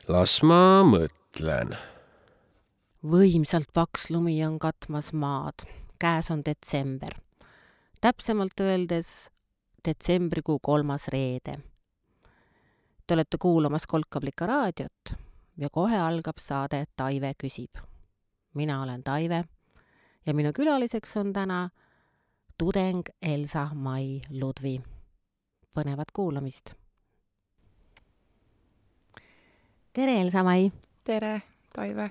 Las ma mõtlen. Võimsalt paks lumi on katmas maad. Käes on detsember. Täpsemalt öeldes detsembrikuu 3. reede. Te olete kuulamas Kolkablika raadiot ja kohe algab saade Taive küsib. Mina olen Taive ja minu külaliseks on täna tudeng Elsa-Mai Ludvi. Põnevat kuulamist. Tere, Elsa-Mai! Tere, Taive!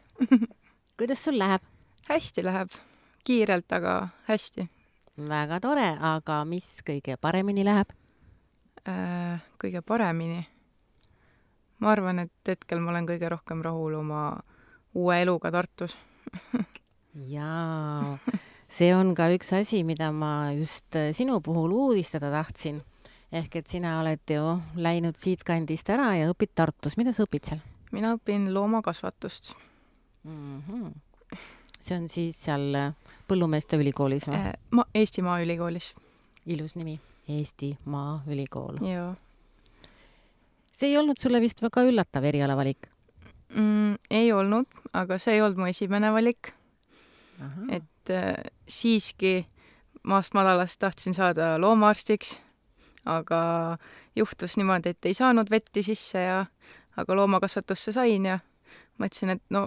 Kuidas sul läheb? Hästi läheb. Kiirelt, aga hästi. Väga tore, aga mis kõige paremini läheb? Kõige paremini? Ma arvan, et hetkel ma olen kõige rohkem rahul oma uue eluga Tartus. Jaa, see on ka üks asi, mida ma just sinu puhul uudistada tahtsin. Ehk et sina oled ju läinud siit kandist ära ja õpid Tartus. Mida sa õpid seal? Mina õpin loomakasvatust. See on siis seal Põllumeeste ülikoolis või? Eestimaa ülikoolis. Ilus nimi. Eestimaa ülikool. Joo. See ei olnud sulle vist väga üllatav erialavalik? Ei olnud, aga see ei olnud mu esimene valik. Aha. Et siiski maast madalast tahtsin saada loomaarstiks, aga juhtus niimoodi, et ei saanud vetti sisse aga loomakasvatusse sain ja mõtlesin, et no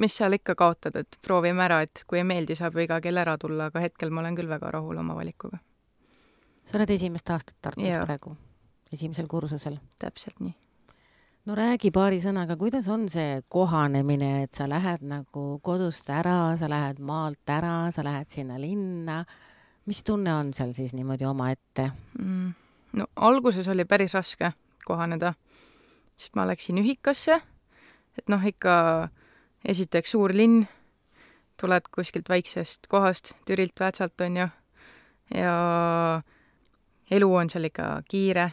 mis seal ikka kaotad, et proovime ära, et kui ei meeldi, saab ju iga kell ära tulla, aga hetkel ma olen küll väga rahul oma valikuga. Sa oled esimest aastat Tartus Jaa. praegu, esimesel kursusel. Täpselt nii. No räägi paari sõnaga, kuidas on see kohanemine, et sa lähed nagu kodust ära, sa lähed maalt ära, sa lähed sinna linna. Mis tunne on seal siis niimoodi oma ette? No alguses oli päris raske kohaneda, sest ma läksin ühikasse, et ikka esiteks suur linn, tuled kuskilt väiksest kohast, Türilt, Väätsalt on ju, ja elu on seal ikka kiire.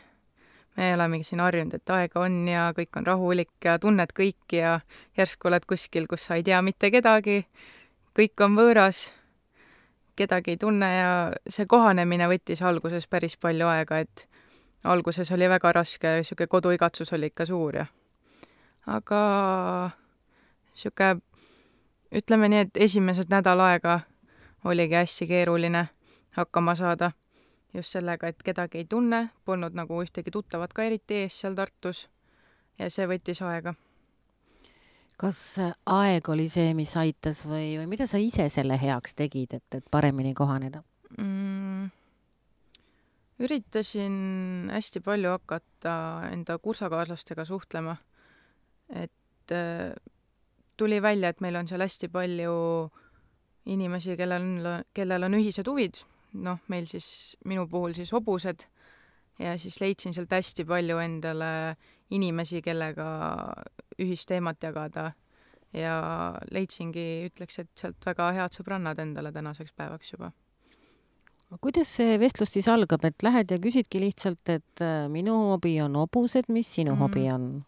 Me oleme siin harjunud, et aega on ja kõik on rahulik ja tunned kõiki ja järsku oled kuskil, kus sa ei tea mitte kedagi, kõik on võõras, kedagi ei tunne ja see kohanemine võttis alguses päris palju aega, et alguses oli väga raske, siuke koduigatsus oli ikka suur ja aga siuke, ütleme nii, et esimesed nädal aega oligi hästi keeruline hakkama saada just sellega, et kedagi ei tunne, polnud nagu ühtegi tuttavat ka eriti ees seal Tartus ja see võttis aega. Kas aeg oli see, mis aitas või mida sa ise selle heaks tegid, et paremini kohaneda? Üritasin hästi palju hakata enda kursakaaslastega suhtlema, et tuli välja, et meil on seal hästi palju inimesi, kellel on ühised huvid, meil siis, minu puhul siis hobused ja siis leidsin sealt hästi palju endale inimesi, kellega ühist teemat jagada ja leidsingi, ütleks, et sealt väga head sõbrannad endale tänaseks päevaks juba. Kuidas see vestlus siis algab, et lähed ja küsidki lihtsalt, et minu hobi on hobused, mis sinu hobi on?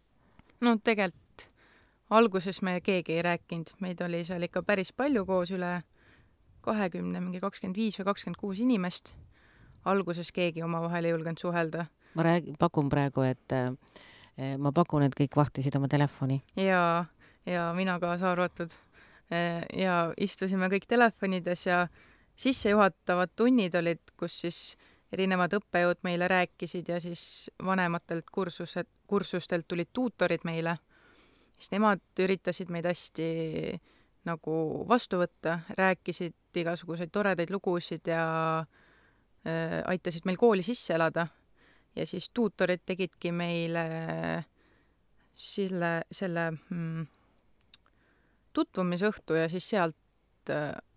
No tegelikult alguses me keegi ei rääkinud, meid oli seal ikka päris palju koos üle 20, mingi 25 või 26 inimest. Alguses keegi omavahel ei julgenud suhelda. Ma pakun praegu, et kõik vahtisid oma telefoni. Ja mina kaasa arvatud. Ja istusime kõik telefonides ja sissejuhatavad tunnid olid, kus siis erinevad õppejõud meile rääkisid ja siis vanematelt kursustelt tulid tuutorid meile. Siis nemad üritasid meid hästi nagu vastu võtta, rääkisid igasuguseid toredaid lugusid ja aitasid meil kooli sisse elada. Ja siis tuutorid tegidki meile selle tutvumisõhtu ja siis sealt,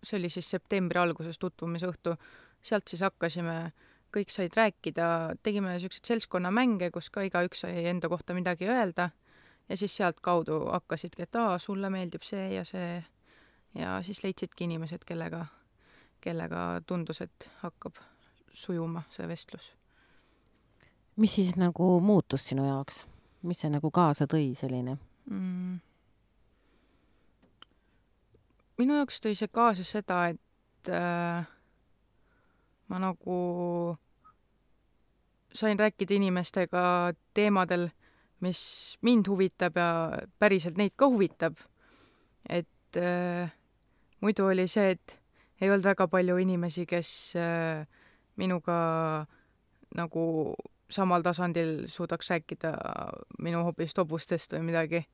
see oli siis septembri alguses tutvumisõhtu, sealt siis hakkasime, kõik said rääkida, tegime sellised seltskonnamänge, kus ka igaüks sai enda kohta midagi öelda ja siis sealt kaudu hakkasidki, et sulle meeldib see ja siis leidsidki inimesed, kellega tundus, et hakkab sujuma see vestlus. Mis siis nagu muutus sinu jaoks? Mis see nagu kaasa tõi selline? Minu jaoks tõi see kaasa seda, et ma nagu sain rääkida inimestega teemadel, mis mind huvitab ja päriselt neid ka huvitab. Et muidu oli see, et ei olnud väga palju inimesi, kes minuga nagu samal tasandil suudaks rääkida minu hobist hobustest või midagi.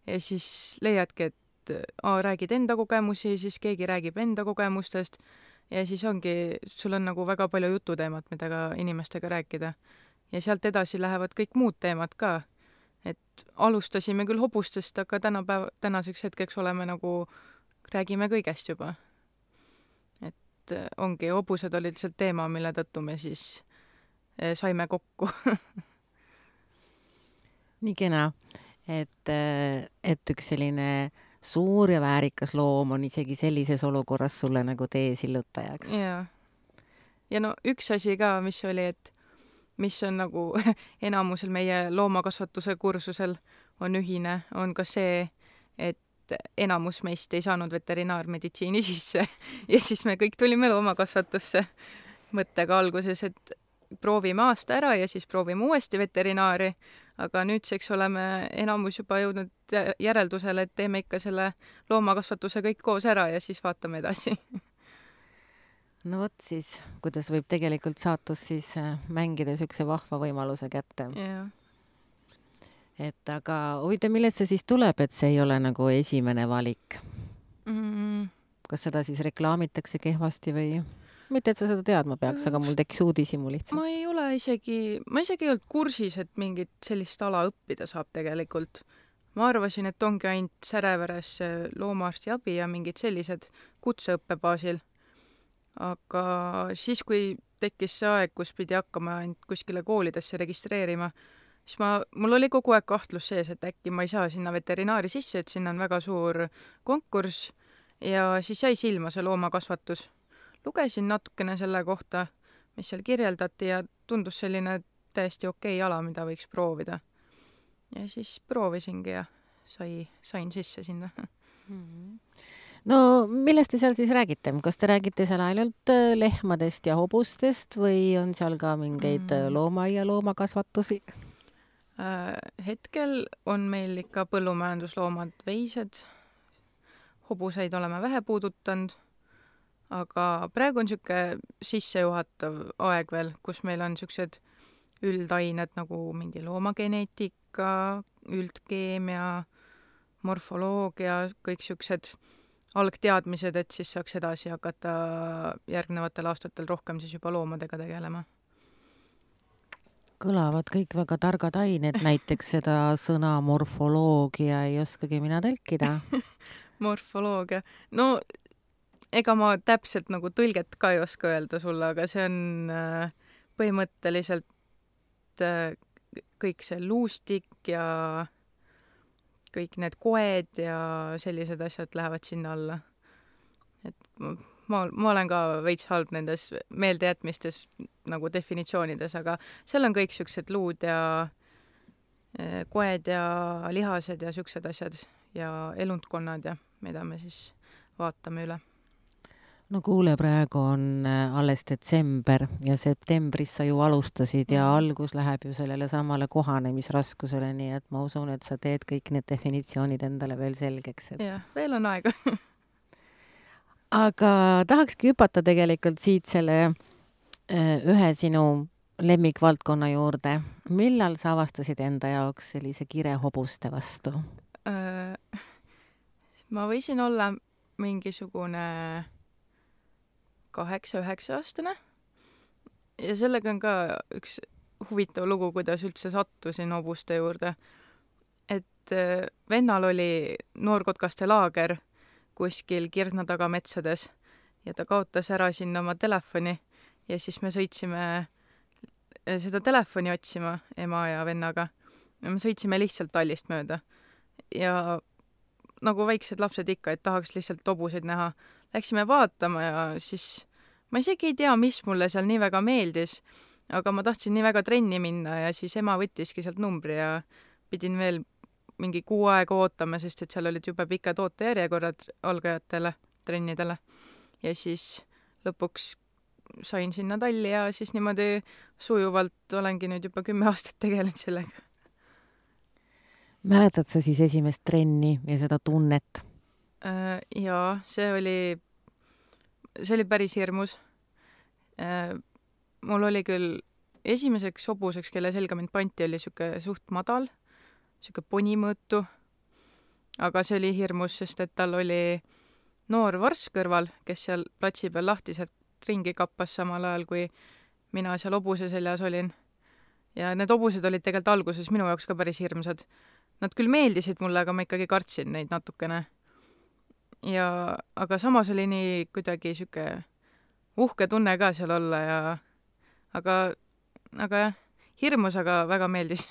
Ja siis leiadki, et räägid enda kogemusi, siis keegi räägib enda kogemustest ja siis ongi, sul on nagu väga palju jututeemat, mida ka inimestega rääkida. Ja sealt edasi lähevad kõik muud teemad ka. Et alustasime küll hobustest, aga tänaseks hetkeks oleme nagu, räägime kõigest juba. Et ongi, hobused olid lihtsalt teema, mille tõttu me siis saime kokku. Nii kena, et üks selline suur ja väärikas loom on isegi sellises olukorras sulle nagu tee sillutajaks. Ja no üks asi ka, mis oli, et mis on nagu enamusel meie loomakasvatuse kursusel on ühine, on ka see, et enamus meist ei saanud veterinaarmeditsiini sisse ja siis me kõik tulime loomakasvatusse mõttega alguses, et proovime aasta ära ja siis proovime uuesti veterinaari, aga nüüdseks oleme enamus juba jõudnud järeldusele, et teeme ikka selle loomakasvatuse kõik koos ära ja siis vaatame edasi. No vot siis, kuidas võib tegelikult saatus siis mängida sükse vahva võimaluse kätte. Yeah. Et aga huvitav, millest see siis tuleb, et see ei ole nagu esimene valik? Kas seda siis reklaamitakse kehvasti või? Mitte, et sa seda teadma peaks, aga mul tekkis uudishimu lihtsalt. Ma ei isegi olnud kursis, et mingit sellist ala õppida saab tegelikult. Ma arvasin, et ongi ainult Säreveres loomaarsti abi ja mingid sellised kutseõppebaasil. Aga siis, kui tekkis see aeg, kus pidi hakkama ainult kuskile koolidesse registreerima, siis mul oli kogu aeg kahtlus sees, et äkki ma ei saa sinna veterinaari sisse, et sinna on väga suur konkurss ja siis jäi silma see loomakasvatus. Lugesin natukene selle kohta, mis seal kirjeldati ja tundus selline täiesti okei ala, mida võiks proovida. Ja siis proovisingi ja sain sisse sinna. No millest te seal siis räägite? Kas te räägite seal ainult lehmadest ja hobustest või on seal ka mingeid looma- ja loomakasvatusi? Hetkel on meil ikka põllumajandusloomad, veised. Hobuseid oleme vähe puudutanud, aga praegu on siuke sissejuhatav aeg veel, kus meil on siuksed üldained nagu mingi loomageneetika, üldkeemia, morfoloogia, kõik siuksed algteadmised, et siis saaks edasi hakata järgnevatel aastatel rohkem siis juba loomadega tegelema. Kõlavad kõik väga targad ained, näiteks seda sõna morfoloogia ei oskagi mina tõlkida. Morfoloogia. No ega ma täpselt nagu tõlget ka ei oska öelda sulle, aga see on põhimõtteliselt kõik see luustik ja kõik need koed ja sellised asjad lähevad sinna alla. Et ma olen ka veits halb nendes meeldejätmistes nagu definitsioonides, aga seal on kõik siuksed luud ja koed ja lihased ja siuksed asjad ja elundkonnad ja mida me siis vaatame üle. No kuule, praegu on alles detsember ja septembris sa ju alustasid ja algus läheb ju sellele samale kohanemisraskusele, nii et ma usun, et sa teed kõik need definitsioonid endale veel selgeks. Jah, veel on aega. Aga tahakski hüpata tegelikult siit selle ühe sinu lemmikvaldkonna juurde. Millal sa avastasid enda jaoks sellise kire hobuste vastu? Ma võisin olla mingisugune 8-9 aastane ja sellega on ka üks huvitav lugu, kuidas üldse sattusin hobuste juurde. Et vennal oli noorkotkaste laager kuskil Kirdna taga metsades ja ta kaotas ära sinna oma telefoni ja siis me sõitsime seda telefoni otsima ema ja vennaga. Ja me sõitsime lihtsalt tallist mööda ja nagu väiksed lapsed ikka, et tahaks lihtsalt hobuseid näha. Läksime vaatama ja siis ma isegi ei tea, mis mulle seal nii väga meeldis, aga ma tahtsin nii väga trenni minna ja siis ema võttiski sealt numbri ja pidin veel mingi 6 aega ootama, sest et seal olid juba pikad ootejärjekorrad algajatele trennidele. Ja siis lõpuks sain sinna talli ja siis niimoodi sujuvalt olengi nüüd juba 10 aastat tegelenud sellega. Mäletad sa siis esimest trenni ja seda tunnet? Jaa, see oli päris hirmus. Mul oli küll esimeseks hobuseks, kelle selga mind panti, oli siuke suht madal, siuke ponimõõtu, aga see oli hirmus, sest et tal oli noor varss kõrval, kes seal platsi peal lahtiselt ringi kappas samal ajal, kui mina seal hobuse seljas olin. Ja need hobused olid tegelikult alguses minu jaoks ka päris hirmsad. Nad küll meeldisid mulle, aga ma ikkagi kartsin neid natukene. Aga samas oli nii kuidagi siuke uhke tunne ka seal olla aga jah, hirmus, aga väga meeldis.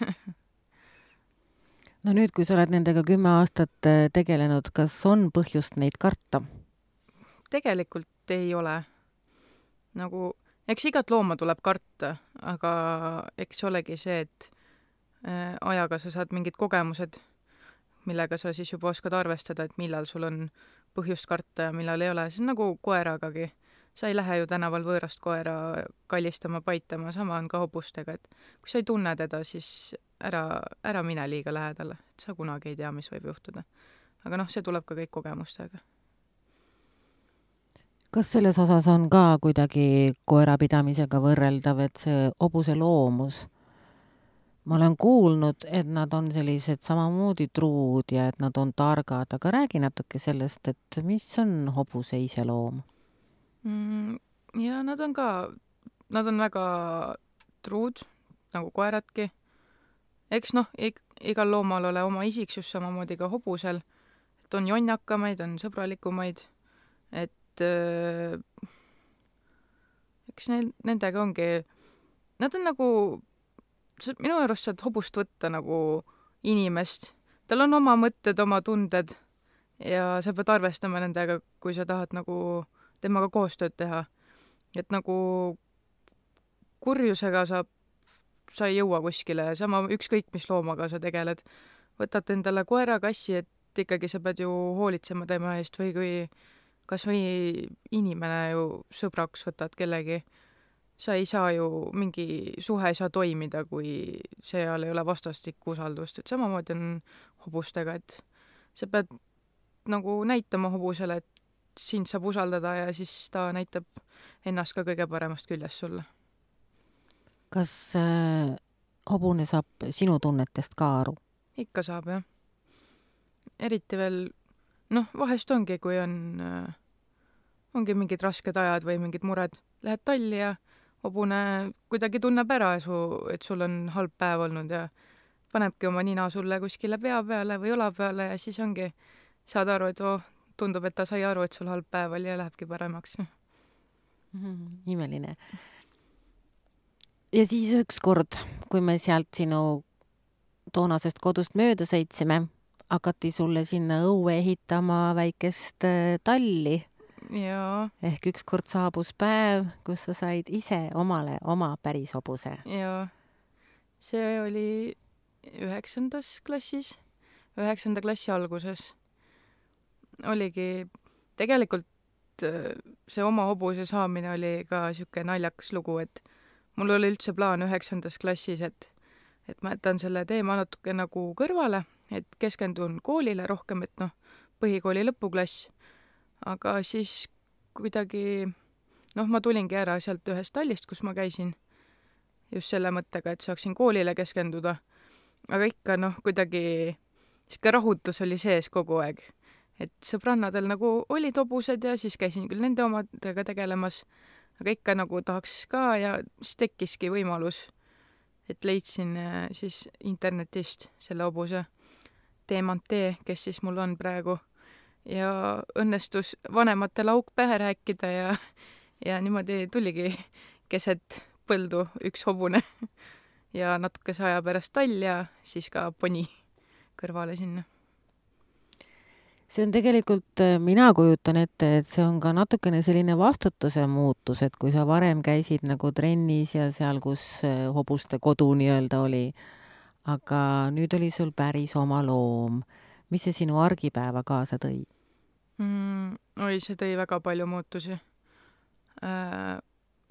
No nüüd, kui sa oled nendega 10 aastat tegelenud, kas on põhjust neid karta? Tegelikult ei ole. Eks igat looma tuleb karta, aga eks olegi see, et ajaga sa saad mingid kogemused, millega sa siis juba oskad arvestada, et millal sul on põhjust karta ja millal ei ole. See on nagu koeragagi. Sa ei lähe ju tänaval võõrast koera kallistama, paitama, sama on ka hobustega, et kui sa ei tunne teda, siis ära mine liiga lähedale, et sa kunagi ei tea, mis võib juhtuda. Aga see tuleb ka kõik kogemustega. Kas selles osas on ka kuidagi koerapidamisega võrreldav, et see hobuse loomus? Ma olen kuulnud, et nad on sellised samamoodi truud ja et nad on targad, aga räägi natuke sellest, et mis on hobuse iseloom? Ja nad on väga truud, nagu koeradki. Eks igal loomal ole oma isiksus, samamoodi ka hobusel. Et on jonnakamaid, on sõbralikumaid, et eks nendega ongi, nad on nagu, minu arust saad hobust võtta nagu inimest. Tal on oma mõtted, oma tunded ja sa pead arvestama nendega, kui sa tahad nagu temaga koostööd teha. Et nagu kurjusega sa ei jõua kuskile, sama ükskõik mis loomaga sa tegeled. Võtad endale koera, kassi, et ikkagi sa pead ju hoolitsema tema eest või kui kas või inimene ju sõbraks võtad kellegi. Sa ei saa ju, mingi suhe ei saa toimida, kui seal ei ole vastastikku usaldust. Et samamoodi on hobustega, et sa pead nagu näitama hobusele, et sind saab usaldada ja siis ta näitab ennast ka kõige paremast küljest sulle. Kas hobune saab sinu tunnetest ka aru? Ikka saab, jah. Eriti veel, vahest ongi, kui ongi mingid rasked ajad või mingid mured. Lähed talli ja hobune kuidagi tunneb ära, et sul on halb päev olnud ja panebki oma nina sulle kuskile pea peale või õla peale ja siis ongi, saad aru, et tundub, et ta sai aru, et sul halb päev oli ja lähebki paremaks. Imeline. Ja siis üks kord, kui me sealt sinu toonasest kodust mööda sõitsime, hakati sulle sinna õue ehitama väikest talli. Ja. Ehk üks kord saabus päev, kus sa said ise omale oma päris hobuse. Ja. See oli 9. klassis, 9. klassi alguses. Oligi, tegelikult see oma hobuse saamine oli ka siuke naljakas lugu, et mul oli üldse plaan 9. klassis, et ma jätan selle teema natuke nagu kõrvale, et keskendun koolile rohkem, et põhikooli lõpuklass. Aga siis kuidagi, ma tulingi ära sealt ühest tallist, kus ma käisin just selle mõttega, et saaksin koolile keskenduda. Aga ikka kuidagi siuke rahutus oli sees kogu aeg. Et sõbrannadel nagu olid hobused ja siis käisin küll nende omadega tegelemas, aga ikka nagu tahaks ka ja siis tekkiski võimalus, et leidsin siis internetist selle hobuse Teemantee, kes siis mul on praegu. Ja õnnestus vanematele auk pähe rääkida ja niimoodi tuligi keset põldu üks hobune ja natukese aja pärast tall ja siis ka poni kõrvale sinna. See on tegelikult, mina kujutan ette, et see on ka natukene selline vastutuse muutus, et kui sa varem käisid nagu trennis ja seal, kus hobuste kodu nii-öelda oli, aga nüüd oli sul päris oma loom. Mis see sinu argipäeva kaasa tõi? See tõi väga palju muutusi.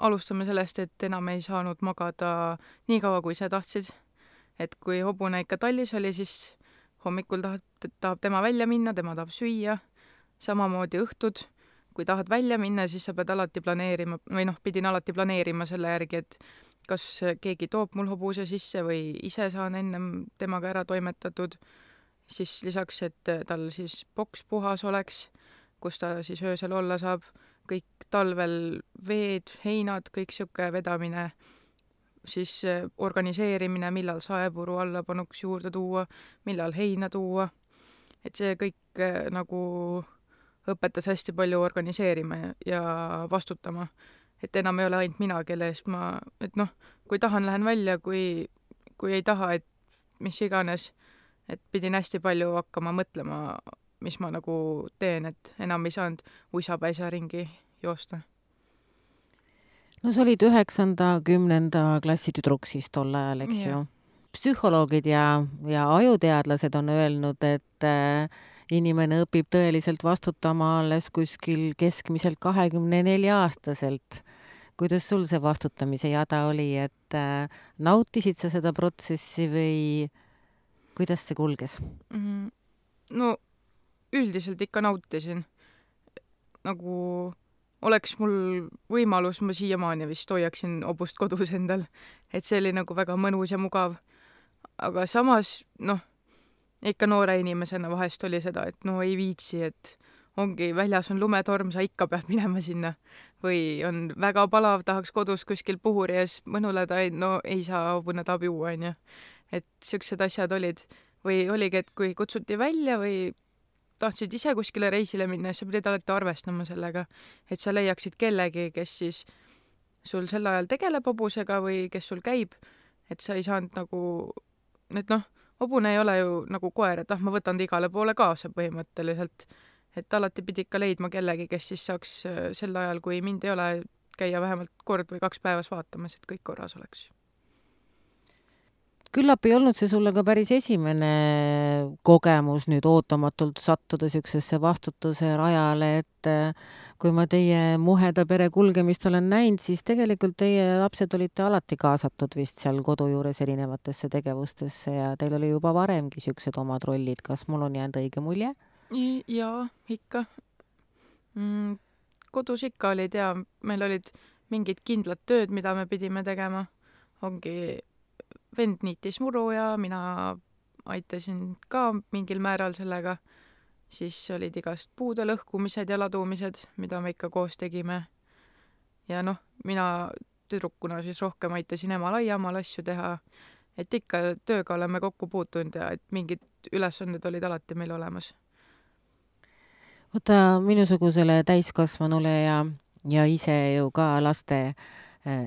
alustame sellest, et enam ei saanud magada nii kaua, kui ise tahtsid. Et kui hobune ikka tallis oli, siis hommikul tahab tema välja minna, tema tahab süüa, samamoodi õhtud. Kui tahad välja minna, siis sa pead alati planeerima, või pidin alati planeerima selle järgi, et kas keegi toob mul hobuse sisse või ise saan ennem temaga ära toimetatud. Siis lisaks, et tal siis boks puhas oleks, kus ta siis öösel olla saab, kõik talvel veed, heinad, kõik siuke vedamine, siis organiseerimine, millal saepuru alla panuks juurde tuua, millal heina tuua. Et see kõik nagu õpetas hästi palju organiseerima ja vastutama. Et enam ei ole ainult mina, kelle eest kui tahan, lähen välja, kui ei taha, et mis iganes, et pidin hästi palju hakkama mõtlema, mis ma nagu teen, et enam ei saanud uisapäisa ringi joosta. No sa olid 9.–10. klassi tüdruk siis tol ajal, eks ju? Psühholoogid ja ajuteadlased on öelnud, et inimene õpib tõeliselt vastutama alles kuskil keskmiselt 24-aastaselt. Kuidas sul see vastutamise jada oli, et nautisid sa seda protsessi või kuidas see kulges? No üldiselt ikka nautisin. Nagu oleks mul võimalus, ma siiamaani vist hoiaksin hobust kodus endal. Et see oli nagu väga mõnus ja mugav. Aga samas, ikka noore inimesena vahest oli seda, et ei viitsi, et ongi väljas on lumetorm, sa ikka pead minema sinna. Või on väga palav, tahaks kodus kuskil puhuri ees mõnuleda, ei saa, hobune tahab juua, on ju. Et siuksed asjad olid. Või oligi, et kui kutsuti välja või tahtsid ise kuskile reisile minna, sa pidid alati arvestama sellega, et sa leiaksid kellegi, kes siis sul sel ajal tegeleb hobusega või kes sul käib, et sa ei saanud nagu, hobune ei ole ju nagu koer, et ma võtan ta igale poole kaasa põhimõtteliselt, et alati pidi ikka leidma kellegi, kes siis saaks sel ajal, kui mind ei ole, käia vähemalt kord või 2 päevas vaatamas, et kõik korras oleks. Küllap ei olnud see sulle ka päris esimene kogemus nüüd ootamatult sattuda siuksesse vastutuse rajale, et kui ma teie muheda pere kulgemist olen näinud, siis tegelikult teie lapsed olite alati kaasatud vist seal kodu juures erinevatesse tegevustesse ja teil oli juba varemgi siuksed omad rollid. Kas mul on jäänud õige mulje? Jaa, ikka. Kodus ikka olid ja meil olid mingid kindlad tööd, mida me pidime tegema. Ongi vend niitis muru ja mina aitasin ka mingil määral sellega. Siis olid igast puude lõhkumised ja ladumised, mida me ikka koos tegime. Ja mina tüdrukuna siis rohkem aitasin emal aiamal asju teha. Et ikka tööga oleme kokku puutunud ja et mingid ülesanded olid alati meil olemas. Võta minusugusele täiskasvanule ja ise ju ka laste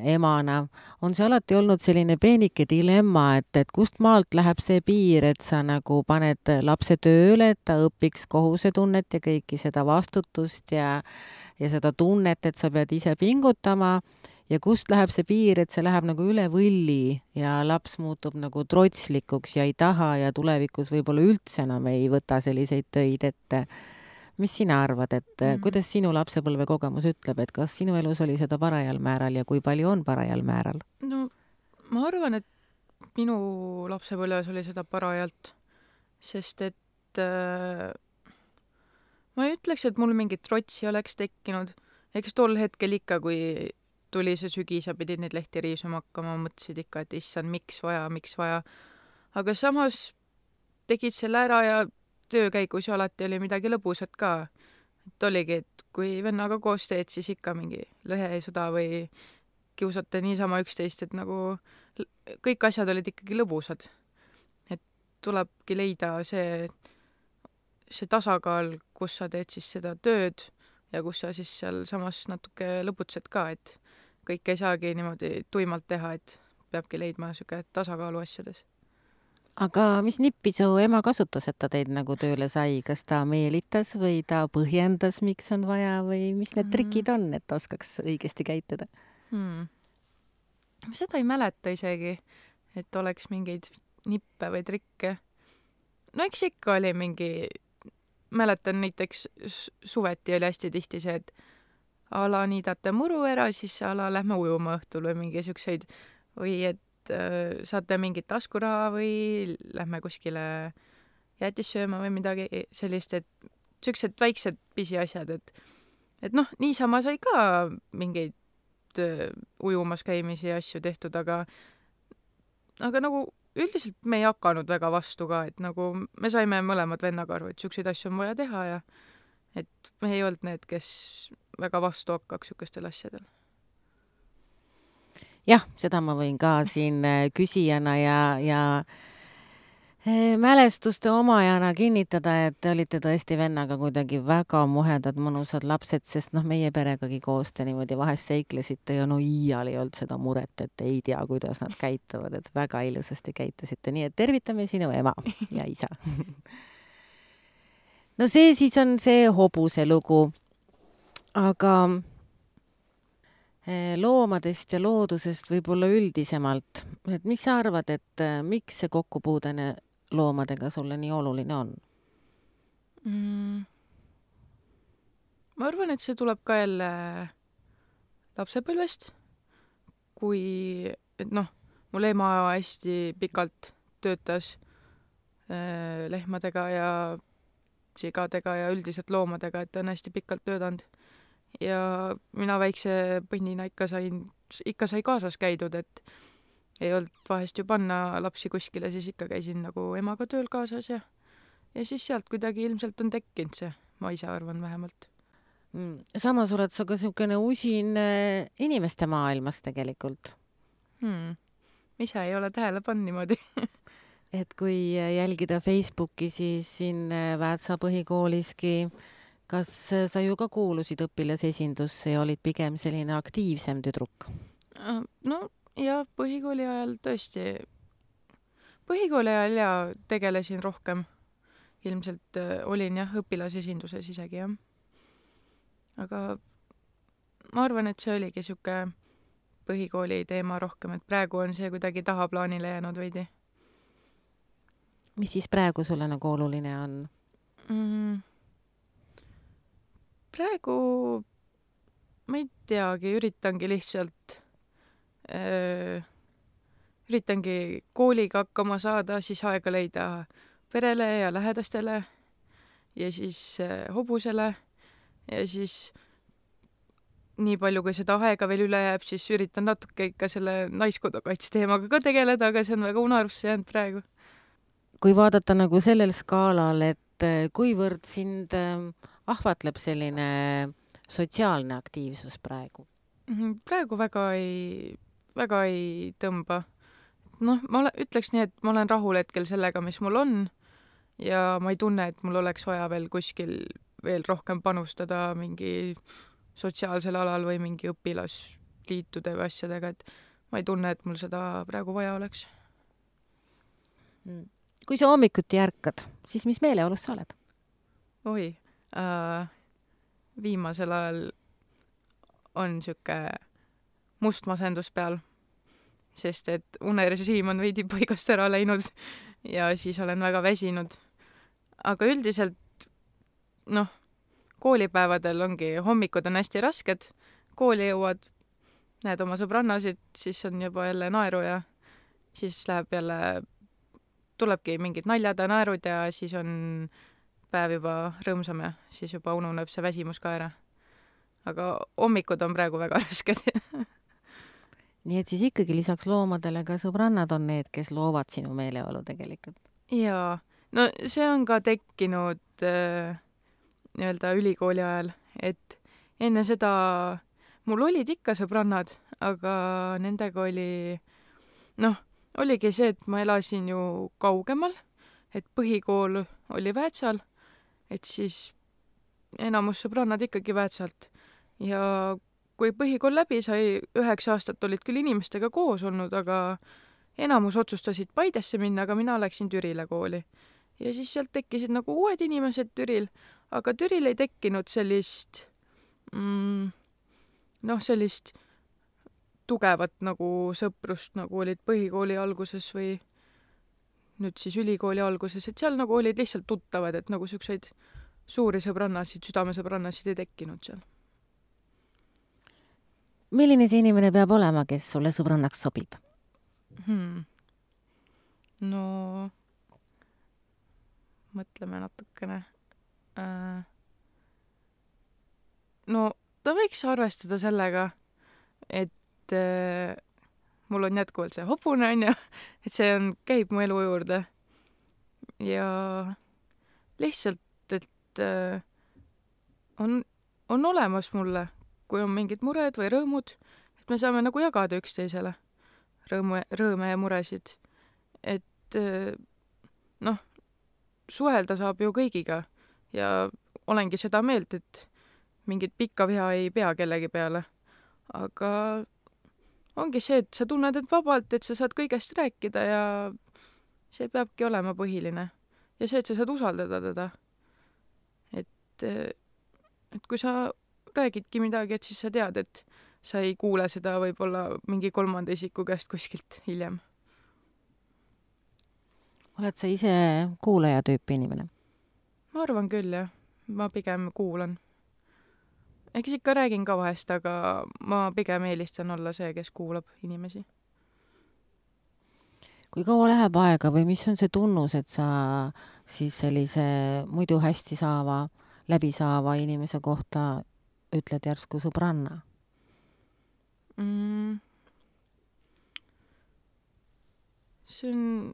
emana on see alati olnud selline peenike dilemma, et kust maalt läheb see piir, et sa nagu paned lapse tööle, et ta õpiks kohusetunnet ja kõiki seda vastutust ja seda tunnet, et sa pead ise pingutama ja kust läheb see piir, et see läheb nagu üle võlli ja laps muutub nagu trotslikuks ja ei taha ja tulevikus võib-olla üldse enam ei võta selliseid töid ette. Mis sina arvad, et kuidas sinu lapsepõlve kogemus ütleb, et kas sinu elus oli seda parajal määral ja kui palju on parajal määral? Ma arvan, et minu lapsepõlves oli seda parajalt, sest et ma ei ütleks, et mul mingit trotsi oleks tekkinud. Eks tol hetkel ikka, kui tuli see sügis ja pidid neid lehti riisuma hakkama, mõtlesid ikka, et issand, miks vaja. Aga samas tegid selle ära ja töö käigus ju alati oli midagi lõbusat ka. Et oligi, et kui vennaga koos teed, siis ikka mingi lõhesõda või kiusate niisama üksteist, et nagu kõik asjad olid ikkagi lõbusad. Et tulebki leida see tasakaal, kus sa teed siis seda tööd ja kus sa siis seal samas natuke lõbutsed ka, et kõik ei saagi niimoodi tuimalt teha, et peabki leidma siuke tasakaalu asjades. Aga mis nippi su ema kasutas, et ta teid nagu tööle sai? Kas ta meelitas või ta põhjendas, miks on vaja või mis need trikid on, et ta oskaks õigesti käituda? Seda ei mäleta isegi, et oleks mingeid nippe või trikke. Eks ikka oli mäletan näiteks suveti oli hästi tihti see, et a la niidate muru ära, siis a la lähme ujuma õhtul või mingi siukseid või et saate mingit taskuraha või lähme kuskile jäätist sööma või midagi sellist, et siuksed väiksed pisiasjad, et noh, niisama sai ka mingeid ujumas käimisi ja asju tehtud, aga nagu üldiselt me ei hakanud väga vastu ka, et nagu me saime mõlemad vennaga aru, et siukseid asju on vaja teha ja et me ei olnud need, kes väga vastu hakkaks siukestel asjadel. Jah, seda ma võin ka siin küsijana ja mälestuste omajana kinnitada, et te olite tõesti vennaga kuidagi väga muhedad, mõnusad lapsed, sest meie peregagi koos te niimoodi vahest seiklesite ja no iial ei olnud seda muret, et ei tea, kuidas nad käituvad, et väga ilusasti käitusite. Nii et tervitame sinu ema ja isa. No see siis on see hobuse lugu. Aga loomadest ja loodusest võib-olla üldisemalt, et mis sa arvad, et miks see kokkupuudene loomadega sulle nii oluline on? Ma arvan, et see tuleb ka jälle lapsepõlvest, kui, et mul ema hästi pikalt töötas lehmadega ja sigadega ja üldiselt loomadega, et ta on hästi pikalt töötanud. Ja mina väikse põnnina ikka sai kaasas käidud, et ei olnud vahest ju panna lapsi kuskile, siis ikka käisin nagu emaga tööl kaasas ja siis sealt kuidagi ilmselt on tekkinud see, ma ise arvan vähemalt. Samas oled sa ka siukene usin inimeste maailmas tegelikult. Ise ei ole tähele pannud niimoodi. Et kui jälgida Facebooki, siis siin Väätsa põhikooliski, kas sa ju ka kuulusid õpilasesindusse ja olid pigem selline aktiivsem tüdruk? No ja põhikooli ajal tõesti. Põhikooli ajal ja tegelesin rohkem. Ilmselt olin jah õpilasesinduses isegi jah. Aga ma arvan, et see oligi siuke põhikooli teema rohkem, et praegu on see kuidagi tahaplaanile jäänud veidi. Mis siis praegu sulle nagu oluline on? Praegu ma ei teagi, üritangi kooliga hakkama saada, siis aega leida perele ja lähedastele ja siis hobusele ja siis nii palju, kui seda aega veel üle jääb, siis üritan natuke ikka selle naiskodukaitsteemaga ka tegeleda, aga see on väga unarusse jäänud praegu. Kui vaadata nagu sellel skaalal, et kuivõrd sind ahvatleb selline sotsiaalne aktiivsus praegu? Praegu väga ei tõmba. Ma ütleks nii, et ma olen rahul hetkel sellega, mis mul on ja ma ei tunne, et mul oleks vaja veel kuskil veel rohkem panustada mingi sotsiaalsel alal või mingi õpilasliitude või asjadega, et ma ei tunne, et mul seda praegu vaja oleks. Kui sa hommikuti ärkad, siis mis meeleolus sa oled? Oi, viimasel ajal on siuke must masendus peal, sest et unerežiim on veidi paigast ära läinud ja siis olen väga väsinud. Aga üldiselt, koolipäevadel ongi, hommikud on hästi rasked, kooli jõuad, näed oma sõbrannasid, siis on juba jälle naeru ja siis tulebki mingid naljad ja naerud ja siis on päev juba rõõmsam ja siis juba ununeb see väsimus ka ära. Aga hommikud on praegu väga rasked. Nii et siis ikkagi lisaks loomadele ka sõbrannad on need, kes loovad sinu meeleolu tegelikult? Jaa, no see on ka tekkinud nii-öelda ülikooli ajal, et enne seda mul olid ikka sõbrannad, aga nendega oligi see, et ma elasin ju kaugemal, et põhikool oli Väätsal, et siis enamus sõbrannad ikkagi Väätsalt. Ja kui põhikool läbi sai, 9 aastat olid küll inimestega koos olnud, aga enamus otsustasid Paidesse minna, aga mina läksin Türile kooli. Ja siis sealt tekkisid nagu uued inimesed Türil, aga Türil ei tekkinud sellist tugevat nagu sõprust, nagu olid põhikooli alguses või nüüd siis ülikooli alguses, et seal nagu olid lihtsalt tuttavad, et nagu siukseid suuri sõbrannasid, südamesõbrannasid ei tekkinud seal. Milline see inimene peab olema, kes sulle sõbrannaks sobib? No mõtleme natukene. No ta võiks arvestada sellega, et mul on jätkuvalt see hobune, on ju, et see käib mu elu juurde. Ja lihtsalt, et on olemas mulle, kui on mingid mured või rõõmud, et me saame nagu jagada üksteisele rõõme ja muresid. Et suhelda saab ju kõigiga ja olengi seda meelt, et mingit pikka viha ei pea kellegi peale. Aga ongi see, et sa tunned end vabalt, et sa saad kõigest rääkida ja see peabki olema põhiline. Ja see, et sa saad usaldada teda. Et kui sa räägidki midagi, et siis sa tead, et sa ei kuule seda võib-olla mingi kolmanda isiku käest kuskilt hiljem. Oled sa ise kuulaja tüüpi inimene? Ma arvan küll, jah. Ma pigem kuulan. Eks ikka räägin ka vahest, aga ma pigem eelistan olla see, kes kuulab inimesi. Kui kaua läheb aega või mis on see tunnus, et sa siis sellise muidu hästi läbi saava inimese kohta ütled järsku sõbranna? See on,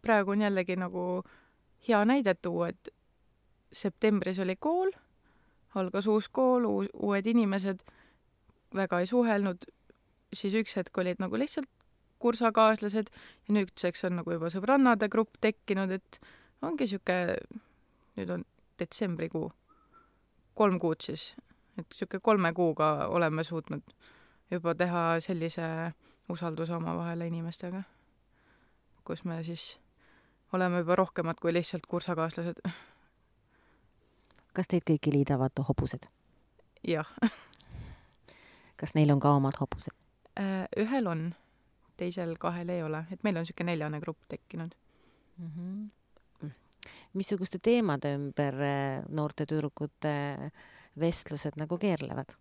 praegu on jällegi nagu hea näide tuua, et septembris oli kool, algas uus kool, uued inimesed, väga ei suhelnud, siis üks hetk olid nagu lihtsalt kursakaaslased ja nüüdseks on nagu juba sõbrannade grupp tekkinud, et ongi nüüd on detsembrikuu, 3 kuud siis, et 3 kuuga oleme suutnud juba teha sellise usalduse omavahele inimestega, kus me siis oleme juba rohkemad kui lihtsalt kursakaaslased. Kas teid kõiki liidavad hobused? Jah. Kas neil on ka omad hobused? Ühel on, teisel 2 ei ole, et meil on 4 grupp tekkinud. Missuguste teemade ümber noorte tüdrukute vestlused nagu keerlevad?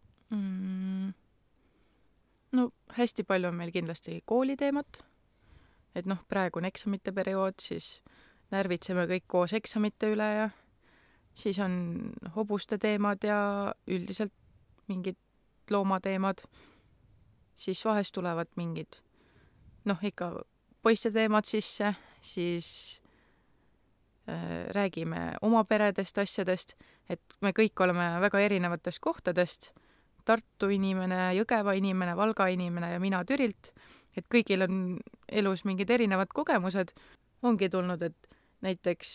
No hästi palju on meil kindlasti kooliteemat, et praegu on eksamite periood, siis närvitseme kõik koos eksamite üle ja siis on hobuste teemad ja üldiselt mingid loomateemad, siis vahest tulevad mingid ikka poiste teemad sisse, siis räägime oma peredest, asjadest, et me kõik oleme väga erinevatest kohtadest, Tartu inimene, Jõgeva inimene, Valga inimene ja mina Türilt, et kõigil on elus mingid erinevad kogemused. Ongi tulnud, et näiteks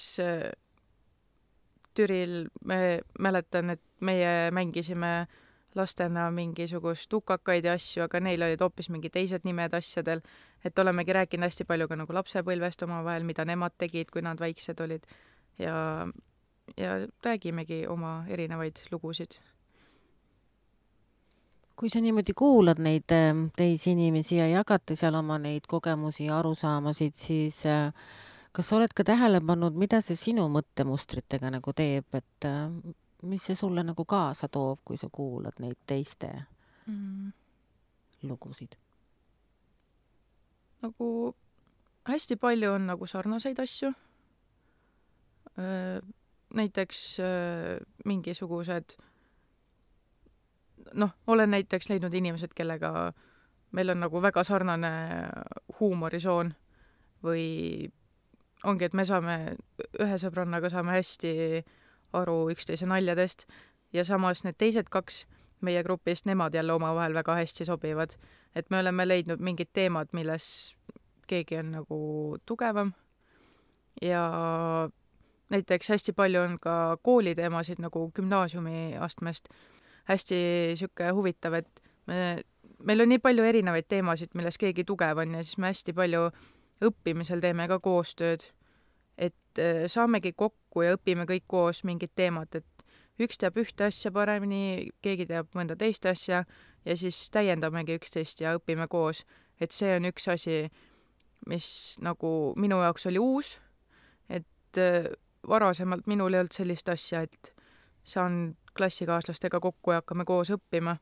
Türil me mäletan, et meie mängisime lastena mingisugust tukakaid ja asju, aga neil olid hoopis mingi teised nimed asjadel, et olemegi rääkinud hästi palju ka nagu lapsepõlvest omavahel, mida nemad tegid, kui nad väiksed olid ja räägimegi oma erinevaid lugusid. Kui sa niimoodi kuulad neid teisi inimesi ja jagate seal oma neid kogemusi ja arusaamasid, siis kas sa oled ka tähele pannud, mida see sinu mõttemustritega nagu teeb, et mis see sulle nagu kaasa toob, kui sa kuulad neid teiste lugusid? Nagu hästi palju on nagu sarnaseid asju. Näiteks mingisugused olen näiteks leidnud inimesed, kellega meil on nagu väga sarnane huumorisoon või ongi, et me ühe sõbrannaga saame hästi aru üksteise naljadest ja samas need teised 2 meie grupist, nemad jälle omavahel väga hästi sobivad. Et me oleme leidnud mingid teemad, milles keegi on nagu tugevam ja näiteks hästi palju on ka kooliteemasid nagu gümnaasiumi astmest. Hästi siuke huvitav, et meil on nii palju erinevaid teemasid, milles keegi tugev on ja siis me hästi palju õppimisel teeme ka koostööd, et saamegi kokku ja õpime kõik koos mingid teemad, et üks teab ühte asja paremini, keegi teab mõnda teist asja ja siis täiendamegi üksteist ja õpime koos, et see on üks asi, mis nagu minu jaoks oli uus, et varasemalt minul ei olnud sellist asja, et saan klassikaaslastega kokku ja hakkame koos õppima,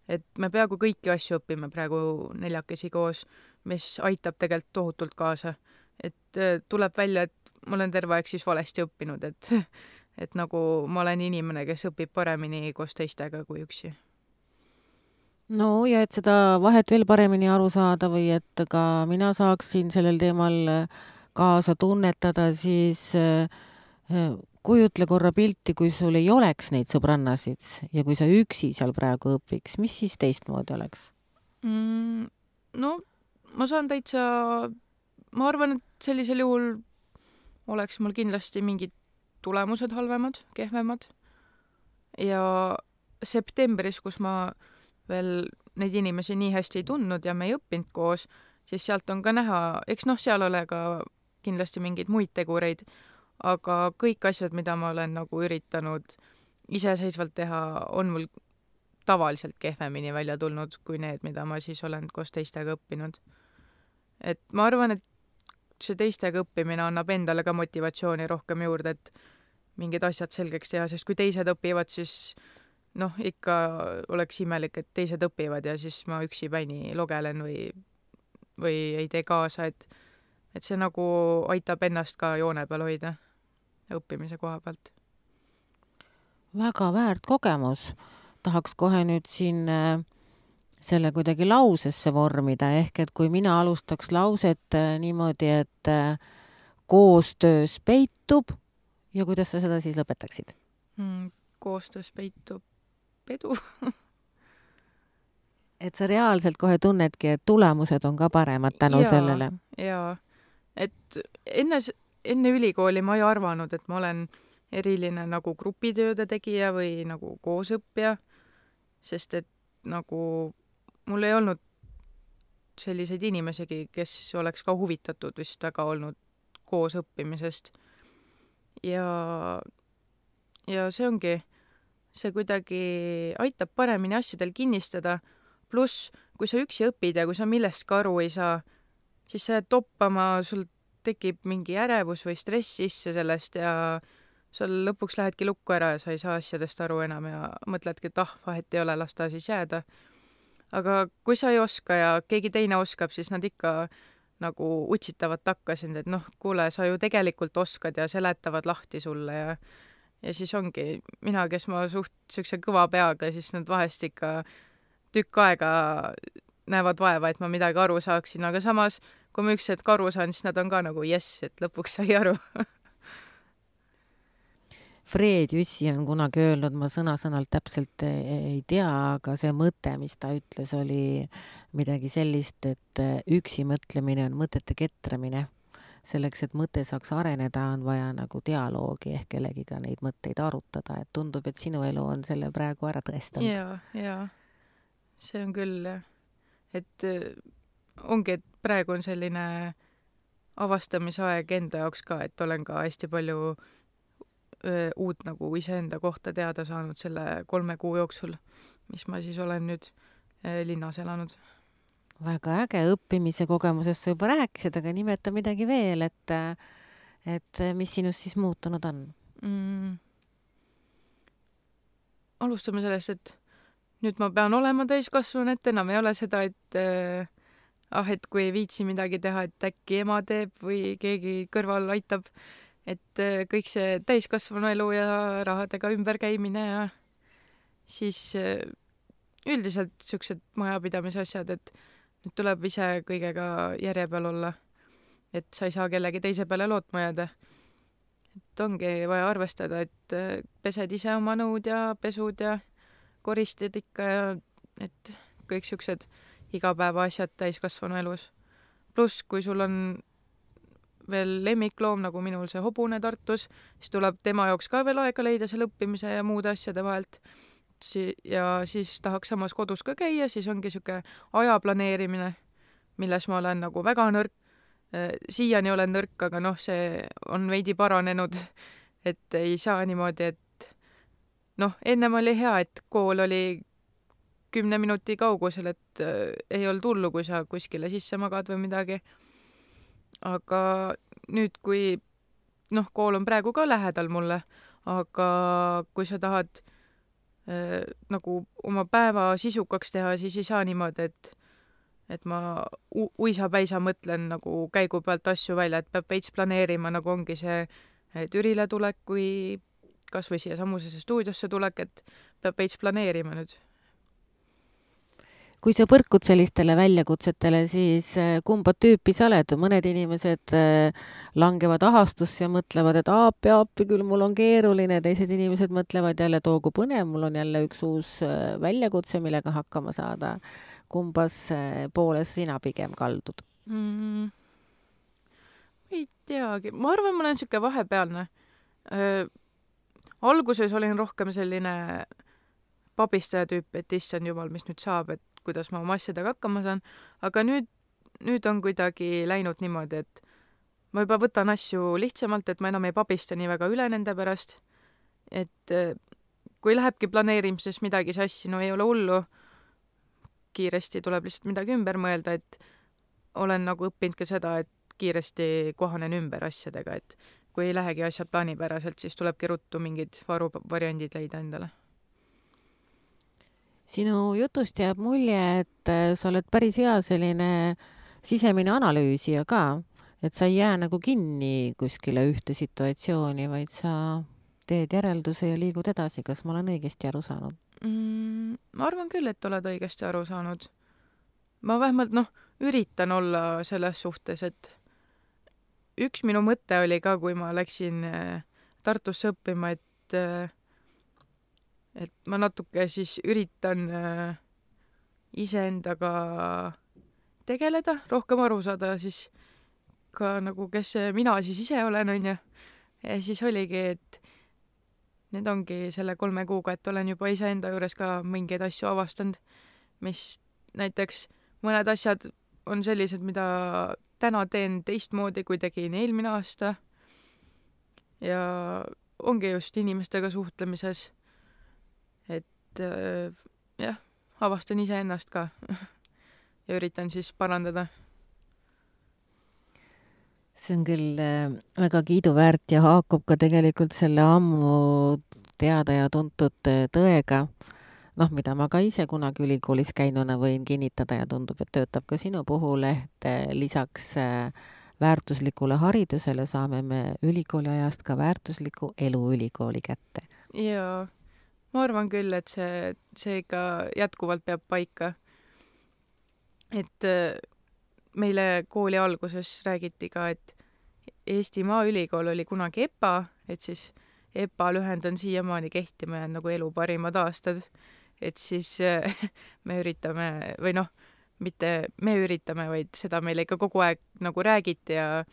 et me peaaegu kõiki asju õpime praegu 4 koos, mis aitab tegelikult tohutult kaasa. Et tuleb välja, et ma olen terve aeg siis valesti õppinud, et nagu ma olen inimene, kes õpib paremini koos teistega kui üksi. no ja et seda vahet veel paremini aru saada või et ka mina saaksin sellel teemal kaasa tunnetada, siis kujutle korra pilti, kui sul ei oleks neid sõbrannasid ja kui sa üksi seal praegu õpiks, mis siis teistmoodi oleks? No ma saan ma arvan, et sellisel juhul oleks mul kindlasti mingid tulemused halvemad, kehvemad. Ja septembris, kus ma veel neid inimesi nii hästi ei tundnud ja me ei õppinud koos, siis sealt on ka näha, eks seal ole ka kindlasti mingeid muid tegureid, aga kõik asjad, mida ma olen nagu üritanud iseseisvalt teha, on mul tavaliselt kehvemini välja tulnud kui need, mida ma siis olen koos teistega õppinud. Et ma arvan, et see teistega õppimine annab endale ka motivatsiooni rohkem juurde, et mingid asjad selgeks teha, sest kui teised õpivad, siis ikka oleks imelik, et teised õpivad ja siis ma üksi päini logelen või ei tee kaasa, et see nagu aitab ennast ka joone peal hoida õppimise koha pealt. Väga väärt kogemus. Tahaks kohe nüüd siin selle kuidagi lausesse vormida, ehk et kui mina alustaks lauset niimoodi, et koostöös peitub ja kuidas sa seda siis lõpetaksid? Koostöös peitub edu. Et sa reaalselt kohe tunnedki, et tulemused on ka paremad tänu sellele. Jaa, et enne ülikooli ma ei arvanud, et ma olen eriline nagu grupitööde tegija või nagu koosõppija, sest et nagu mul ei olnud selliseid inimesegi, kes oleks ka huvitatud vist väga olnud koos õppimisest. Ja see ongi, see kuidagi aitab paremini asjadel kinnistada, pluss kui sa üksi õpid ja kui sa millestki aru ei saa, siis sa jääd toppama, sul tekib mingi ärevus või stress sisse sellest ja sul lõpuks lähedki lukku ära ja sa ei saa asjadest aru enam ja mõtledki, et vahet ei ole, las ta siis jääda. Aga kui sa ei oska ja keegi teine oskab, siis nad ikka nagu utsitavad takka sind, et kuule, sa ju tegelikult oskad ja seletavad lahti sulle ja siis ongi mina, kes ma suht siukse kõva peaga, siis nad vahest ikka tükk aega näevad vaeva, et ma midagi aru saaksin, aga samas, kui ma üks hetk aru saan, siis nad on ka nagu jess, et lõpuks sai aru. Fred Jüssi on kunagi öelnud, ma sõna-sõnalt täpselt ei tea, aga see mõte, mis ta ütles, oli midagi sellist, et üksi mõtlemine on mõtete ketramine. Selleks, et mõte saaks areneda, on vaja nagu dialoogi ehk kellegiga neid mõtteid arutada, et tundub, et sinu elu on selle praegu ära tõestanud. Jaa, see on küll, et ongi, et praegu on selline avastamisaeg enda jaoks ka, et olen ka hästi palju uut nagu iseenda kohta teada saanud selle 3 kuu jooksul, mis ma siis olen nüüd linnas elanud. Väga äge, õppimise kogemusest sa juba rääkisid, aga nimeta midagi veel, et mis sinust siis muutunud on? Alustame sellest, et nüüd ma pean olema täiskasvanud, et enam ei ole seda, et kui ei viitsi midagi teha, et äkki ema teeb või keegi kõrval aitab, et kõik see täiskasvanu elu ja rahadega ümberkäimine ja siis üldiselt siuksed majapidamise asjad, et nüüd tuleb ise kõigega järje peal olla, et sa ei saa kellegi teise peale lootma jääda. Et ongi vaja arvestada, et pesed ise oma nõud ja pesud ja koristid ikka ja et kõik siuksed igapäeva asjad täiskasvanu elus. Pluss, kui sul on veel lemmikloom, nagu minul see hobune Tartus, siis tuleb tema jaoks ka veel aega leida seal õppimise ja muude asjade vahelt. Ja siis tahaks samas kodus ka käia, siis ongi siuke aja planeerimine, milles ma olen nagu väga nõrk. Siiani olen nõrk, aga see on veidi paranenud, et ei saa niimoodi, et ennem oli hea, et kool oli 10 minuti kaugusel, et ei olnud hullu, kui sa kuskile sisse magad või midagi. Aga nüüd, kui kool on praegu ka lähedal mulle, aga kui sa tahad nagu oma päeva sisukaks teha, siis ei saa niimoodi, et ma uisapäisa mõtlen nagu käigu pealt asju välja, et peab veits planeerima, nagu ongi see Türile tulek või kas või siia samusesse stuudiosse tulek, et peab veits planeerima nüüd. Kui sa põrkud sellistele väljakutsetele, siis kumba tüüpi sa oled? Mõned inimesed langevad ahastusse ja mõtlevad, et appi, küll mul on keeruline, teised inimesed mõtlevad jälle, toogu põnev, mul on jälle üks uus väljakutse, millega hakkama saada. Kumbas pooles sina pigem kaldud? Ei teagi. Ma arvan, ma olen siuke vahepealne. Alguses olin rohkem selline pabistaja tüüp, et issand jumal, mis nüüd saab, et kuidas ma oma asjadega hakkama saan, aga nüüd on kuidagi läinud niimoodi, et ma juba võtan asju lihtsamalt, et ma enam ei pabista nii väga üle nende pärast, et kui lähebki planeerimises midagi sassi, no ei ole hullu, kiiresti tuleb lihtsalt midagi ümber mõelda, et olen nagu õppinud ka seda, et kiiresti kohanen ümber asjadega, et kui ei lähegi asjad plaanipäraselt, siis tulebki ruttu mingid varuvariandid leida endale. Sinu jutust jääb mulje, et sa oled päris hea selline sisemine analüüsija ka, et sa ei jää nagu kinni kuskile ühte situatsiooni, vaid sa teed järelduse ja liigud edasi. Kas ma olen õigesti aru saanud? Ma arvan küll, et oled õigesti aru saanud. Ma vähemalt üritan olla selles suhtes, et üks minu mõte oli ka, kui ma läksin Tartusse õppima, et ma natuke siis üritan iseendaga tegeleda, rohkem aru saada siis ka nagu, kes mina siis ise olen, on ju. Ja siis oligi, et need ongi selle 3 kuuga, et olen juba iseenda juures ka mingeid asju avastanud, mis näiteks mõned asjad on sellised, mida täna teen teistmoodi, kui tegin eelmine aasta. Ja ongi just inimestega suhtlemises. Jah, avastan iseennast ka ja üritan siis parandada. See on küll väga kiiduväärt ja haakub ka tegelikult selle ammu teada ja tuntud tõega, mida ma ka ise kunagi ülikoolis käinuna võin kinnitada ja tundub, et töötab ka sinu puhul, et lisaks väärtuslikule haridusele saame me ülikooli ajast ka väärtusliku elu ülikooli kätte. Jaa. Ma arvan küll, et see ikka jätkuvalt peab paika. Et meile kooli alguses räägiti ka, et Eesti Maaülikool oli kunagi EPA, et siis EPA lühend on siiamaani kehtima ja nagu elu parimad aastad. Et siis me üritame, või mitte me üritame, vaid seda meile ikka kogu aeg nagu räägiti ja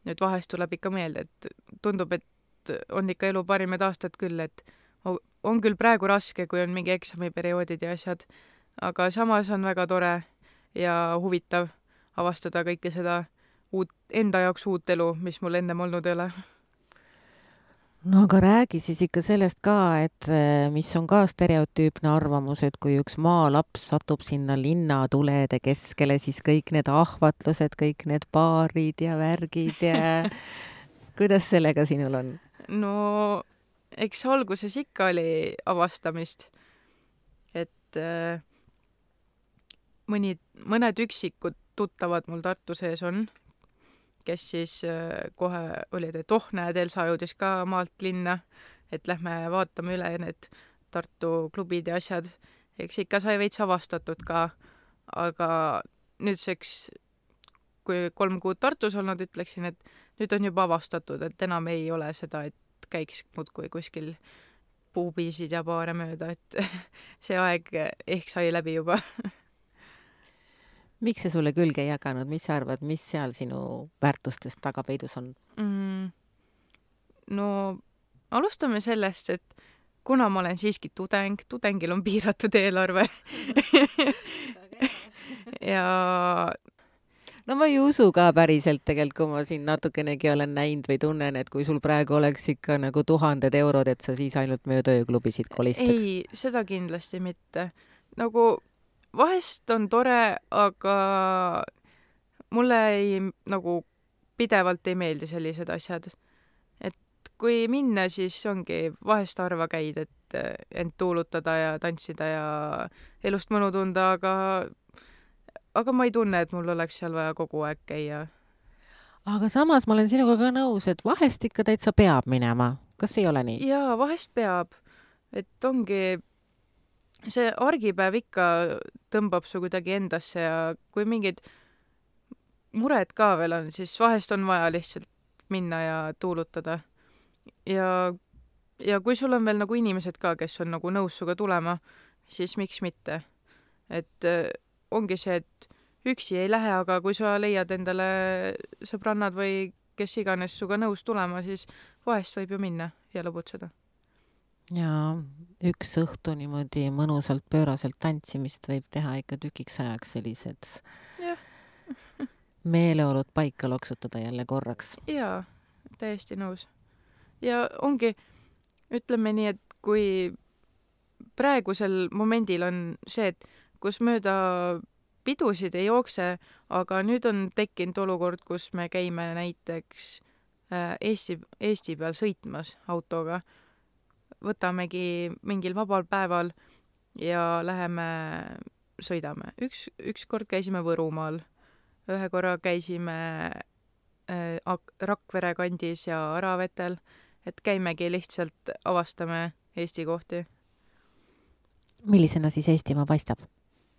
nüüd vahest tuleb ikka meelde, et tundub, et on ikka elu parimad aastad küll, et on küll praegu raske, kui on mingi eksamiperioodid ja asjad, aga samas on väga tore ja huvitav avastada kõike seda enda jaoks uut elu, mis mul ennem olnud ei ole. No aga räägi siis ikka sellest ka, et mis on ka stereotüüpne arvamus, et kui üks maalaps satub sinna linnatulede keskele, siis kõik need ahvatlused, kõik need baarid ja värgid ja kuidas sellega sinul on? No eks alguses ikka oli avastamist, et mõned üksikud tuttavad mul Tartu sees on, kes siis kohe olid, et näed, Elsa jõudis ka maalt linna, et lähme vaatame üle need Tartu klubid ja asjad. Eks ikka sai veits avastatud ka, aga nüüdseks, kui 3 kuud Tartus olnud, ütleksin, et nüüd on juba avastatud, et enam ei ole seda, et käiks muudkui kuskil puubiisid ja baare mööda, et see aeg ehk sai läbi juba. Miks see sulle külge ei jaganud? Mis sa arvad, mis seal sinu väärtustest tagapeidus on? No alustame sellest, et kuna ma olen siiski tudengil on piiratud eelarve ja no ma ei usu ka päriselt tegelikult, kui ma siin natukenegi olen näinud või tunnen, et kui sul praegu oleks ikka nagu 1000 eurod, et sa siis ainult mööda ööklubisid kolistaks. Ei, seda kindlasti mitte. Nagu vahest on tore, aga mulle nagu pidevalt ei meeldi sellised asjad. Et kui minna, siis ongi vahest harva käid, et et end tuulutada ja tantsida ja elust mõnu tunda, aga ma ei tunne, et mul oleks seal vaja kogu aeg käia. aga samas ma olen sinuga ka nõus, et vahest ikka täitsa peab minema. Kas ei ole nii? Jaa, vahest peab. Et ongi, see argipäev ikka tõmbab su kuidagi endasse ja kui mingid mured ka veel on, siis vahest on vaja lihtsalt minna ja tuulutada. Ja kui sul on veel nagu inimesed ka, kes on nagu nõus suga tulema, siis miks mitte. Et ongi see, et üksi ei lähe, aga kui sa leiad endale sõbrannad või kes iganes suga nõus tulema, siis vahest võib ju minna ja lõbutseda. Ja üks õhtu niimoodi mõnusalt pööraselt tantsimist võib teha ikka tükiks ajaks sellised meeleolud paika loksutada jälle korraks. Jaa, täiesti nõus. Ja ongi, ütleme nii, et kui praegusel momendil on see, et kus mööda pidusid ei jookse, aga nüüd on tekkinud olukord, kus me käime näiteks Eesti peal sõitmas autoga. Võtamegi mingil vabal päeval ja läheme, sõidame. Üks kord käisime Võrumaal, ühe korra käisime Rakvere kandis ja Aravetel, et käimegi lihtsalt avastame Eesti kohti. Millisena siis Eestimaa paistab?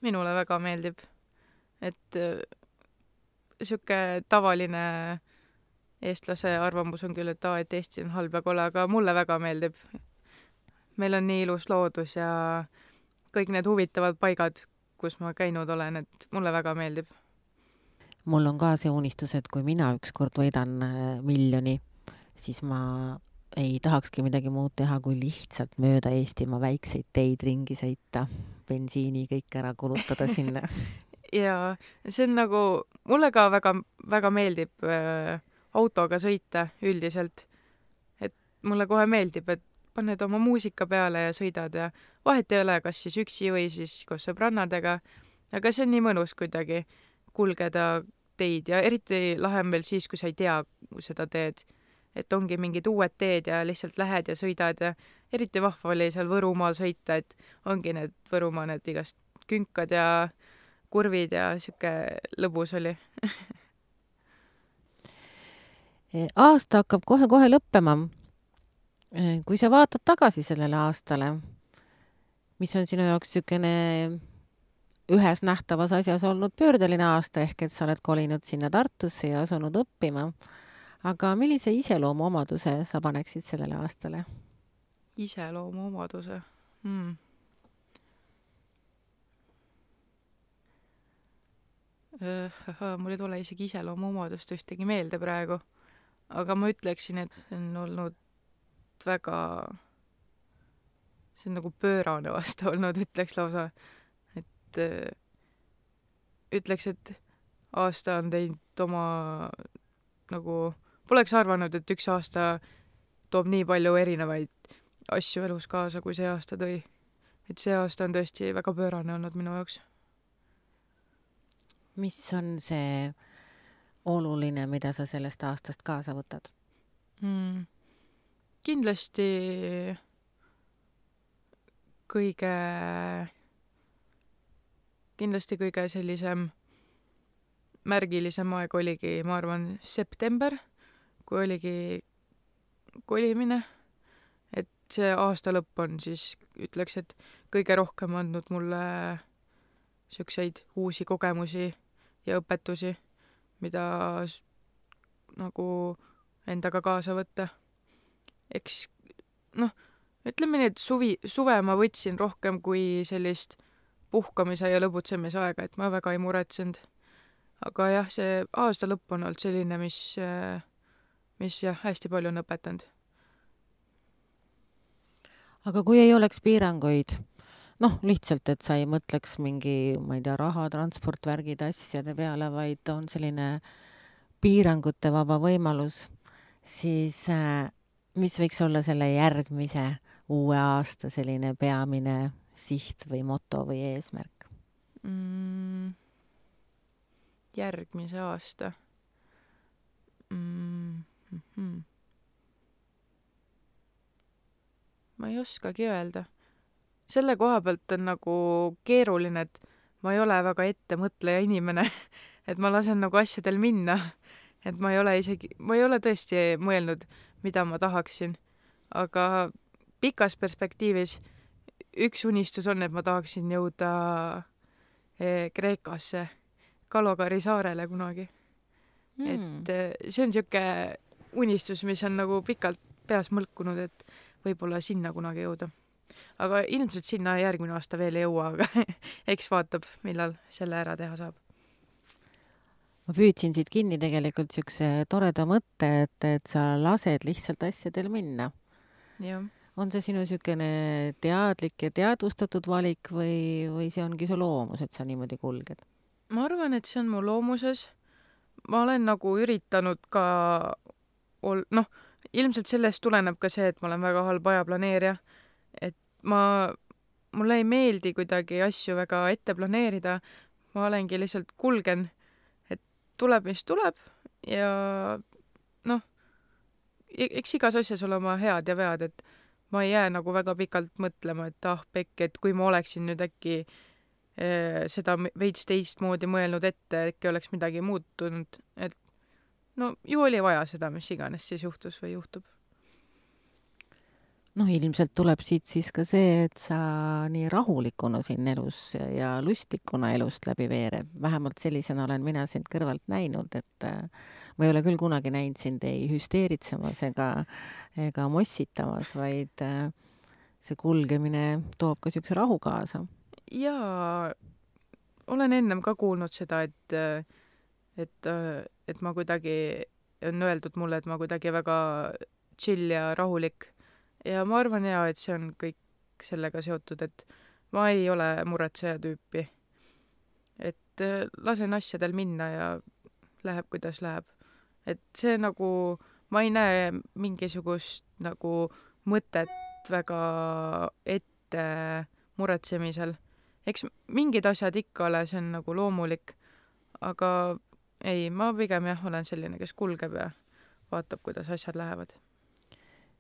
Minule väga meeldib, et siuke tavaline eestlase arvamus on küll, et Eesti on halb ja kole, aga mulle väga meeldib. Meil on nii ilus loodus ja kõik need huvitavad paigad, kus ma käinud olen, et mulle väga meeldib. Mul on ka see unistus, et kui mina ükskord võidan 1 miljoni, siis ma ei tahakski midagi muud teha, kui lihtsalt mööda Eestimaa väikseid teid ringi sõita, bensiini kõik ära kulutada sinna. Ja see on nagu, mulle ka väga, väga meeldib autoga sõita üldiselt. Et mulle kohe meeldib, et paned oma muusika peale ja sõidad ja vahet ei ole, kas siis üksi või siis koos sõbrannadega. Aga see on nii mõnus kuidagi kulgeda teid ja eriti lahem veel siis, kui sa ei tea seda teed. Et ongi mingid uued teed ja lihtsalt lähed ja sõidad ja eriti vahva oli seal Võrumaal sõita, et ongi need Võrumaa need igast künkad ja kurvid ja siuke lõbus oli. Aasta hakkab kohe-kohe lõppema. Kui sa vaatad tagasi sellele aastale, mis on sinu jaoks siukene ühes nähtavas asjas olnud pöördeline aasta, ehk et sa oled kolinud sinna Tartusse ja asunud õppima. Aga millise iseloomu omaduse sa paneksid sellele aastale? Iseloomu omaduse? Mul ei tule isegi iseloomu omadust ühtegi meelde praegu. Aga ma ütleksin, et see on olnud väga, see on nagu pöörane aasta olnud, ütleks lausa. Et ütleks, et aasta on teinud oma nagu poleks arvanud, et üks aasta toob nii palju erinevaid asju elus kaasa, kui see aasta tõi. Et see aasta on tõesti väga pöörane olnud minu jaoks. Mis on see oluline, mida sa sellest aastast kaasa võtad? Kindlasti kõige sellisem märgilisem aeg oligi, ma arvan, september, kui oligi kolimine. Et see aasta lõpp on siis, ütleks, et kõige rohkem andnud mulle siukseid uusi kogemusi ja õpetusi, mida nagu endaga kaasa võtta. Eks, ütleme nii, et suve ma võtsin rohkem kui sellist puhkamise ja lõbutsemise aega, et ma väga ei muretsenud. Aga jah, see aasta lõpp on olnud selline, mis jah, hästi palju on õpetanud. Aga kui ei oleks piiranguid, lihtsalt, et sa ei mõtleks mingi, ma ei tea, raha, transport, värgid, asjade peale, vaid on selline piirangute vaba võimalus, siis mis võiks olla selle järgmise uue aasta selline peamine siht või moto või eesmärk? Järgmise aasta. Ma ei oskagi öelda. Selle koha pealt on nagu keeruline, et ma ei ole väga ettemõtleja inimene, et ma lasen nagu asjadel minna, et ma ei ole tõesti mõelnud, mida ma tahaksin, aga pikas perspektiivis üks unistus on, et ma tahaksin jõuda Kreekasse, Kalogari saarele kunagi. Et see on siuke unistus, mis on nagu pikalt peas mõlkunud, et võib-olla sinna kunagi jõuda. Aga ilmselt sinna järgmine aasta veel ei jõua, aga eks vaatab, millal selle ära teha saab. Ma püüdsin siit kinni tegelikult siukse toreda mõtte, et sa lased lihtsalt asjadel minna. Jah. On see sinu siukene teadlik ja teadvustatud valik või see ongi su loomus, et sa niimoodi kulged? Ma arvan, et see on mu loomuses. Ma olen nagu üritanud ka ilmselt sellest tuleneb ka see, et ma olen väga halb ajaplaneerija, et mulle ei meeldi kuidagi asju väga ette planeerida, ma olengi lihtsalt kulgen, et tuleb, mis tuleb ja eks igas asjas ole oma head ja vead, et ma ei jää nagu väga pikalt mõtlema, et pekk, et kui ma oleksin nüüd äkki seda veits teistmoodi mõelnud ette, äkki oleks midagi muutunud, et ju oli vaja seda, mis iganes siis juhtus või juhtub. Ilmselt tuleb siit siis ka see, et sa nii rahulikuna siin elus ja lustikuna elust läbi veereb. Vähemalt sellisena olen mina sind kõrvalt näinud, et ma ei ole küll kunagi näinud sind ei hüsteeritsemas ega mossitamas, vaid see kulgemine toob ka siukse rahu kaasa. Jaa, olen ennem ka kuulnud seda, et ma kuidagi, on öeldud mulle, et ma kuidagi väga chill ja rahulik. Ja ma arvan et see on kõik sellega seotud, et ma ei ole muretseja tüüpi. Et lasen asjadel minna ja läheb, kuidas läheb. Et see nagu, ma ei näe mingisugust nagu mõtet väga ette muretsemisel. Eks mingid asjad ikka ole, see on nagu loomulik, aga ei, ma pigem olen selline, kes kulgeb ja vaatab, kuidas asjad lähevad.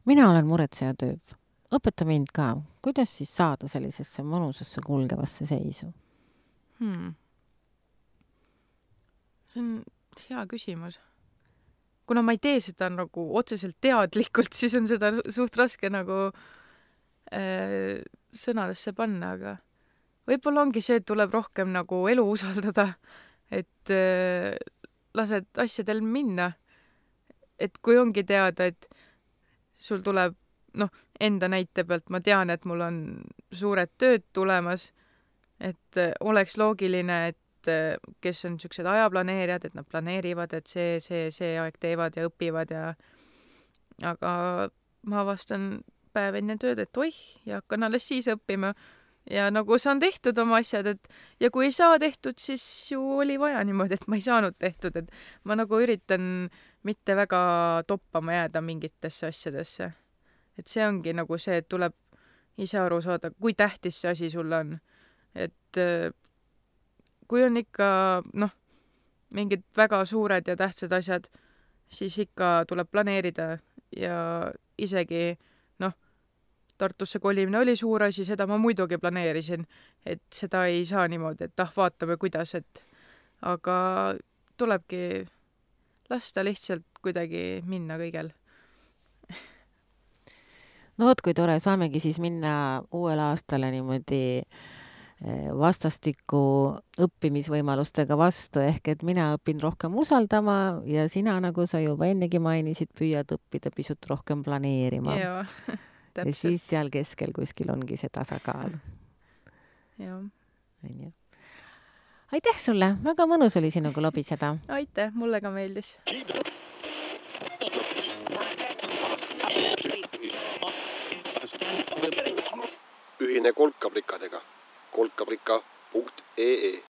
Mina olen muretseja tüüp. Õpeta mind ka. Kuidas siis saada sellisesse mõnusasse kulgevasse seisu? See on hea küsimus. Kuna ma ei tee seda nagu otseselt teadlikult, siis on seda suht raske nagu sõnadesse panna, aga võib-olla ongi see, et tuleb rohkem nagu elu usaldada, et lased asjadel minna. Et kui ongi teada, et sul tuleb, enda näite pealt ma tean, et mul on suured tööd tulemas, et oleks loogiline, et kes on siuksed ajaplaneerijad, et nad planeerivad, et see aeg teevad ja õpivad aga ma avastan päev enne tööd, et oih, ja hakkan alles siis õppima ja nagu saan tehtud oma asjad, ja kui ei saa tehtud, siis ju oli vaja niimoodi, et ma ei saanud tehtud, et ma nagu üritan mitte väga toppama jääda mingitesse asjadesse. Et see ongi nagu see, et tuleb ise aru saada, kui tähtis see asi sulle on. Et kui on ikka, mingid väga suured ja tähtsad asjad, siis ikka tuleb planeerida ja isegi, Tartusse kolimine oli suur asi, seda ma muidugi planeerisin, et seda ei saa niimoodi, et vaatame kuidas, aga tulebki lasta lihtsalt kuidagi minna kõigel. Kui tore, saamegi siis minna uuel aastale niimoodi vastastikku õppimisvõimalustega vastu, ehk et mina õpin rohkem usaldama ja sina, nagu sa juba ennegi mainisid, püüad õppida pisut rohkem planeerima. Jaa, täpselt. Ja siis seal keskel kuskil ongi see tasakaal. Jaa. Aitäh sulle, väga mõnus oli sinuga lobiseda. Aitäh, mulle ka meeldis. Ühine kolkaplikadega. kolkaplika.ee